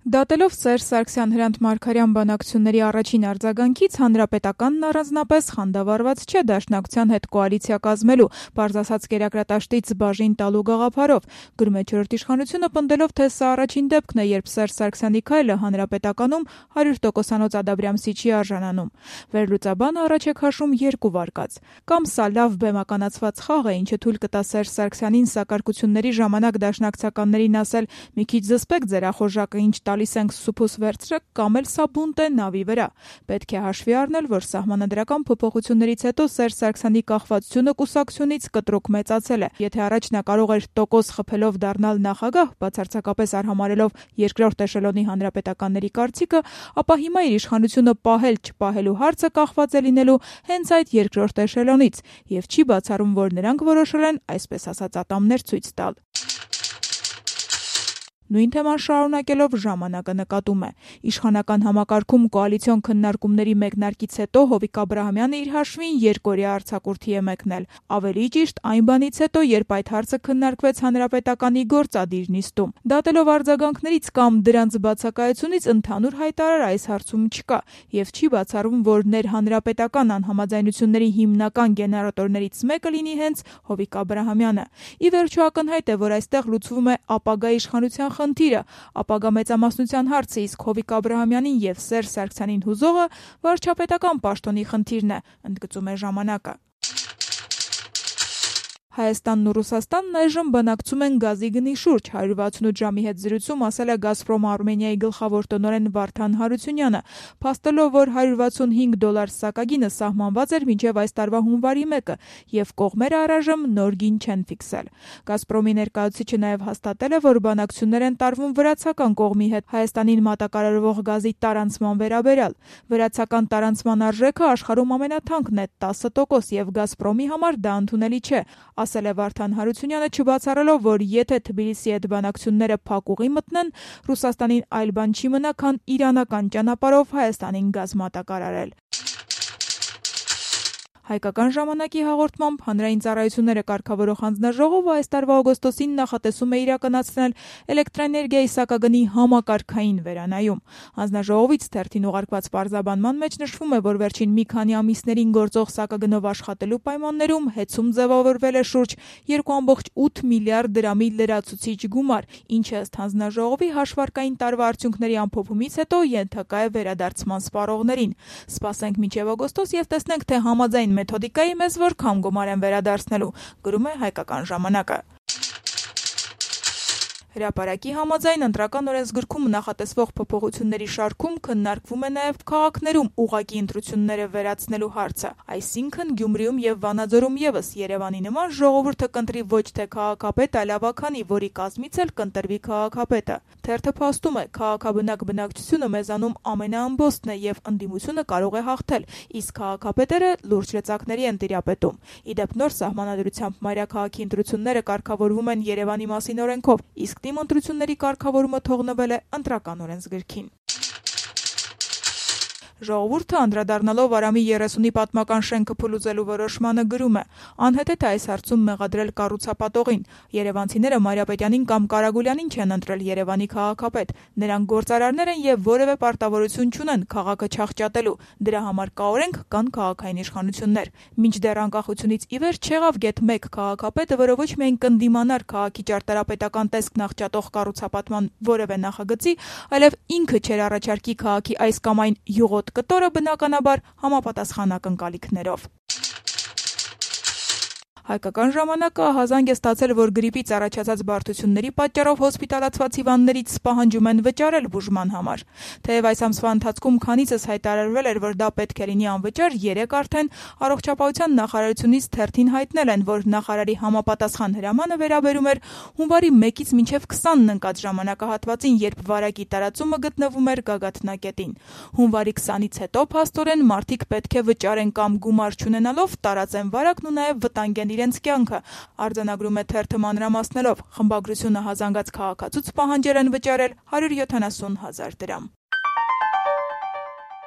Դատելով Սերժ Սարգսյան Հրանտ Մարգարյան բանակցությունների առաջին արձագանքից, Հանրապետականն առանձնապես խանդավառված չէ Դաշնակցության հետ կոալիցիա կազմելու, պարզ ասած կերակրատաշտից բաժին տալու գաղափարով։ Գրում է «Չորրորդ իշխանությունը», պնդելով, թե սա առաջին դեպքն է, երբ Սերժ Սարգսյանի քայլը Հանրապետականում 100%-անոց ադաբրամսի չի արժանանում։ Վերլուծաբանը առաջ է քաշում երկու վարկած. կամ սա լավ բեմականացված խաղ է, ինչը թույլ կտա Սերժ Սարգսյանին սակարկությունների ժամանակ դաշնակցականներին ասել՝ մի քիչ զսպեք ձեր ախորժակը, ինչ տալիս ենք սուփուս վերցրեք, կամ էլ սա բունտ է նավի վրա։ Պետք է հաշվի առնել, որ սահմանադրական փոփոխություններից հետո Սերժ Սարգսյանի կախվածությունը կուսակցությունից կտրուկ մեծացել է։ Եթե առաջ նա կարող էր տոկոս խփելով դառնալ նախագահ, բացարձակապես արհամարհելով երկրորդ էշելոնի հանրապետականների կարծիքը, ապա հիմա իր իշխանությունը պահել-չպահելու հարցը կախված է լինելու հենց այդ երկրորդ էշելոնից, եւ չի բացառում, որ նրանք որոշել են, այսպես ասած, ատամներ ցույց տալ։ Նույն թեման շարունակելով ժամանակը նկատում է. իշխանական համակարգում կոալիցիոն քննարկումների մեկնարկից հետո Հովիկ Աբրահամյանը իր հաշվին երկօրյա արձակուրդի է մեկնել։ Ավելի ճիշտ, այն բանից հետո, երբ այդ հարցը քննարկվեց Հանրապետականի գործադիր նիստում։ Դատելով արձագանքներից կամ դրանց բացակայությունից, ընդհանուր հայտարար այս հարցում չկա, եւ չի բացառվում, որ ներհանրապետական անհամաձայնությունների հիմնական գեներատորներից մեկը լինի հենց Հովիկ Աբրահամյանը։ Ի վերջո ակնհայտ է, որ այստեղ լուծվում է ապագա իշխանության խնդիրը, ապագա մեծամասնության հարցը, իսկ Հովիկ Աբրահամյանին եւ Սերժ Սարգսյանին հուզողը վարչապետական պաշտոնի խնդիրն է, ընդգծում է ժամանակը։ Հայաստանն ու Ռուսաստանն այժմ բանակցում են գազի գնի շուրջ, 168 ժամի հետ զրույցում ասել է «Գազպրոմ Արմենիայի» գլխավոր տնօրեն Վարդան Հարությունյանը, փաստելով, որ $165 սակագինը սահմանված էր մինչև այս տարվա հունվարի 1-ը, եւ կողմերը առայժմ նոր գին չեն ֆիքսել։ «Գազպրոմի» ներկայացուցիչը նաեւ հաստատել է, որ բանակցություններ են տարվում վրացական կողմի հետ Հայաստանին մատակարարվող գազի տարանցման վերաբերյալ։ Վրացական տարանցման արժեքը աշխարհում ամենաթանկն է՝ 10%, եւ «Գազպրոմի» համար դա ընդունելի չէ, ասել է Վարդան Հարությունյանը, չբացառելով, որ եթե Թբիլիսիի հետ բանակցությունները փակուղի մտնեն, Ռուսաստանին այլ բան չի մնա, քան իրանական ճանապարհով Հայաստանին գազ մատակարարել։ Հայկական ժամանակի հաղորդմամբ հանրային ծառայությունները կարգավորող հանձնաժողովը այս տարվա օգոստոսին նախատեսում է իրականացնել էլեկտրաէներգիայի սակագնի համակարգային վերանայում։ Հանձնաժողովից թերթին ուղարկված պարզաբանման մեջ նշվում է, որ վերջին մի քանի ամիսներին գործող սակագնով աշխատելու պայմաններում հեծում ձևավորվել է շուրջ 2.8 միլիարդ դրամի լրացուցիչ գումար, ինչը ըստ հանձնաժողովի հաշվարկային տարվա արդյունքների ամփոփումից հետո ենթակա է վերադարձման սպառողներին։ Սպասենք մինչև օգոստոս եւ տեսնենք, թե համաձայն մեթոդիկայի մեզ որքան գումար են վերադարձնելու, գրում է Հայկական ժամանակը։ Հրապարակի համաձայն ընտրական օրենսգրքում նախատեսվող փոփոխությունների շարքում քննարկվում է նաև քաղաքներում ուղղակի ընտրությունները վերացնելու հարցը, այսինքն Գյումրիում եւ Վանաձորում եւս Երևանի նման ժողովուրդը կընտրի ոչ թե քաղաքապետ, այլ ավագանի, որի կազմից էլ կընտրվի քաղաքապետը։ Թերթը փաստում է, քաղաքաբնակ բնակչությունը մեզանում ամենաըմբոստն է եւ ընդդիմությունը կարող է հաղթել, իսկ քաղաքապետերը լուրջ լծակների են տիրապետում։ Իդեպ նոր սահմանադրությամբ մայրաքաղաքի ընտրությունները կարգավորվում են Երևանի մասին օրենքով, իսկ Թիմ ընտրությունների կարգավորումը թողնվել է ընտրական օրենսգրքին։ Ժողովուրդը անդրադառնալով Արամի 30-ի պատմական շենքը փլուզելու որոշմանը գրում է. անհետեթ է այս հարցում մեղադրել կառուցապատողին։ Երևանցիները Մարիապետյանին կամ Կարագուլյանին չեն ընտրել Երևանի քաղաքապետ։ Նրանք գործարարներ են եւ որևէ պարտավորություն չունեն քաղաքը չախճատելու։ Դրա համար կա օրենք, կան քաղաքային իշխանություններ։ Մինչդեռ անկախությունից ի վեր չեղավ գեթ 1 քաղաքապետը, որը ոչ միայն կնդիմանար քաղաքի ճարտարապետական տեսքն աղճատող կառուցապատման որևէ նախագծի, այլև ինքը չէր առաջարկի քաղաքի այս կամ այն յուղոտ կտորը, բնականաբար համապատասխան ակնկալիքներով։ Հայկական ժամանակը ահազանգ է ստացել, որ գրիպից առաջացած բարդությունների պատճառով հոսպիտալացված հիվանդներից պահանջում են վճարել բուժման համար։ Թեև այս ամսվա ընթացքում քանիցս հայտարարվել էր, որ դա պետք է լինի անվճար, 3 արդեն առողջապահության նախարարությունից թերթին հայտնել են, որ նախարարի համապատասխան հրամանը վերաբերում էր հունվարի 1-ից մինչև 20-ն ընկած ժամանակահատվածին, երբ վարակի տարածումը գտնվում էր գագաթնակետին։ Հունվարի 20-ից հետո փաստորեն մարդիկ պետք է վճարեն կամ գումար չունենալով տարածեն վարակն ու նաև վտանգեն իրենց կյանքը, արձանագրում է թերթը մանրամասներով։ Խմբագրությունը հազանգած քաղաքացուց պահանջել են վճարել 170,000 դրամ։